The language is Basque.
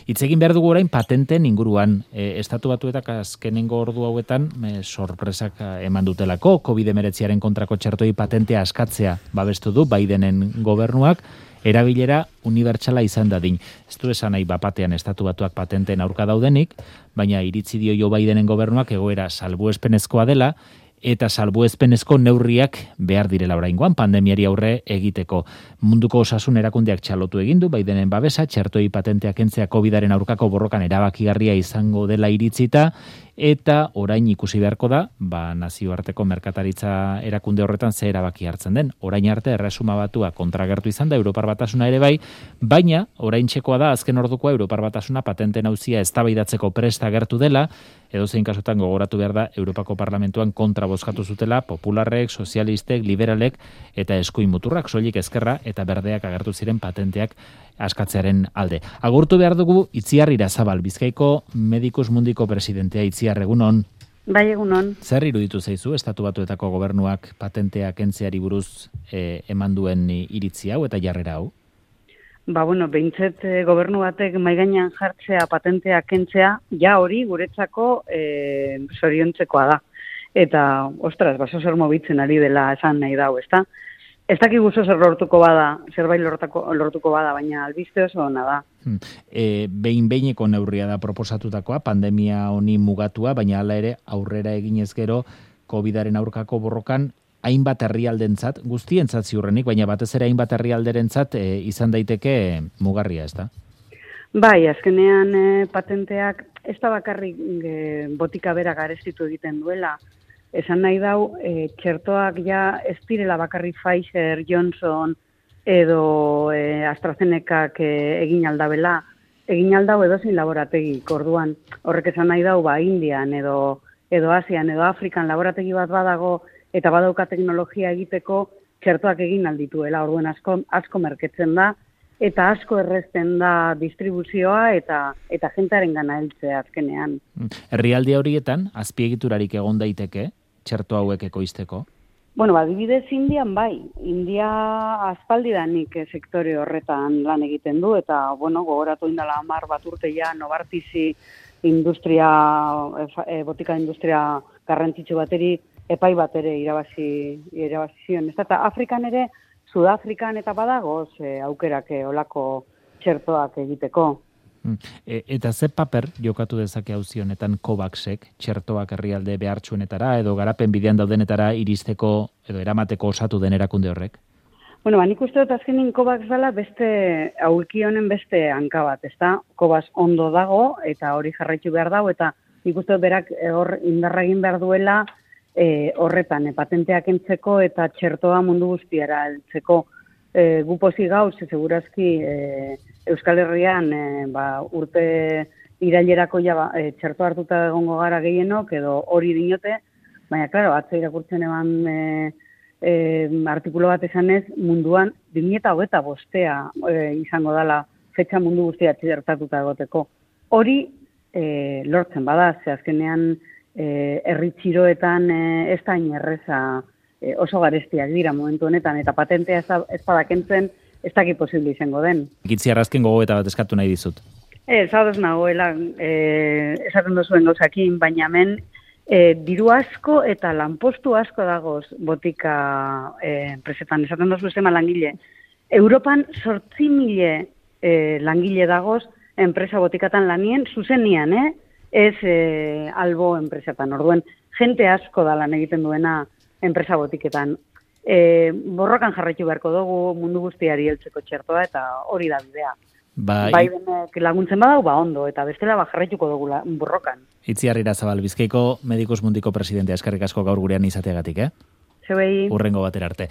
Hitz egin behar dugu orain patenten inguruan. Estatu Batuetak azkenengo ordu hauetan sorpresak eman dutelako. COVID-19 kontrako txertoi patentea askatzea babestu du Bidenen gobernuak, erabilera unibertsala izan dadin. Ez du esan nahi bapatean Estatu Batuak patenten aurka daudenik, baina iritzi dio Joe Bidenen gobernuak egoera salbuespenezkoa dela, eta salbuespenezko neurriak behar direla oraingoan pandemiari aurre egiteko. Munduko Osasun Erakundeak txalotu egin du Bidenen babesa, txertoi patenteak kentzea COVID-aren aurkako borrokan erabakigarria izango dela iritzita, eta orain ikusi beharko da, nazioarteko merkataritza erakunde horretan ze erabaki hartzen den. Orain arte Erresuma Batua kontragertu izan da, Europar Batasuna ere bai, baina oraintxekoa da azken ordukoa Europar Batasuna patenten auzia eztabaidatzeko prest agertu dela, edozein kasutan gogoratu behar da Europako Parlamentuan kontra bozkatu zutela popularrek, sozialistek, liberalek eta eskuin muturrak, soilik ezkerra eta berdeak agertu ziren patenteak askatzearen alde. Agurtu behar dugu Itziar Irazabal, Bizkaiko Medikus Mundiko presidentea. Itziar, egunon. Bai, egunon. Zer iruditu zaizu Estatu Batuetako gobernuak patenteak kentzeari buruz eman duen iritzi hau eta jarrera hau? Behintzet gobernu batek mahai gainean jartzea patenteak kentzea, ja hori guretzako zoriontzekoa da. Eta, ostras, baso zer mobitzen ari dela esan nahi dau, ezta? Ez dakigu zer lortuko bada, zerbait lortuko bada, baina albiste oso ona da. Behin-behineko neurria da proposatutakoa, pandemia honi mugatua, baina hala ere aurrera eginez gero COVID-aren aurkako borrokan hainbat herrialdentzat, guztientzat ziurrenik, baina batez ere hainbat herrialderentzat izan daiteke mugarria, ezta? Bai, azkenean patenteak ez da bakarrik botika bera garestitu egiten duela. Esan nahi dau, txertoak ja ez direla bakarrik Pfizer, Johnson edo AstraZenecak egin aldabela. Egin aldau edozein laborategi, orduan horrek esan nahi dau, Indian edo Asian edo Afrikan laborategi bat badago eta badauka teknologia egiteko txertoak egin aldituela, orduan asko merketzen da, eta asko errezten da distribuzioa eta jentearen gana heltzea azkenean. Herrialde horietan, azpiegiturarik egon daiteke, txerto hauek ekoizteko? Adibidez Indian bai. India aspaldidanik sektore horretan lan egiten du, eta, gogoratu indala 10 bat urte ja Novartisi botika industria garrantzitsu bateri epai bat ere irabazi zion. Eta Afrikan ere, Sudafrikan eta badagoz aukerak olako txertoak egiteko. Eta ze paper jokatu dezake auzi honetan COVAXek txertoak herrialde behartsuenetara edo garapen bidean daudenetara iristeko edo eramateko osatu den erakunde horrek? Nik uste dut azkenin COVAX dela beste aulki honen beste hanka bat, ezta? COVAX ondo dago eta hori jarraitu behar dago eta nik uste dut berak hor indarra egin behar duela horretan, patenteak entzeko eta txertoa mundu guztiara heltzeko. Gu pozik gauz, segurazki Euskal Herrian urte irailerako txerto hartuta egongo gara gehienok edo hori dinote, baina, klaro, atzo irakurtzen eban artikulo bat esanez, munduan 2025 izango dela fetxa mundu guztia txertatuta egoteko. Hori lortzen bada, ze azkenean herri txiroetan ez da inerreza oso garestiak dira momentu honetan, eta patentea ez badakentzen ez daki posible izango den. Itziar, azken gogoeta bat eskatu nahi dizut. Zaudez nagoela, esaten duzuen gauzakin, baina hemen diru asko eta lanpostu asko dagoz botika enpresetan, esaten duzu zema langile. Europan 8.000 langile dagoz enpresa botikatan lanien, zuzenian, ez albo enpresetan. Orduen, jente asko da lan egiten duena enpresa botiketan. Borrokan jarraitu beharko dugu mundu guztiari heltzeko txertoa eta hori da bidea. Bai denek laguntzen badau, ondo, eta bestela jarraituko dugu borrokan. Itziar Irazabal, Bizkaiko Medikus Mundiko presidentea, eskerrik asko gaur gurean izateagatik, Zeuei. Hurrengo batera arte.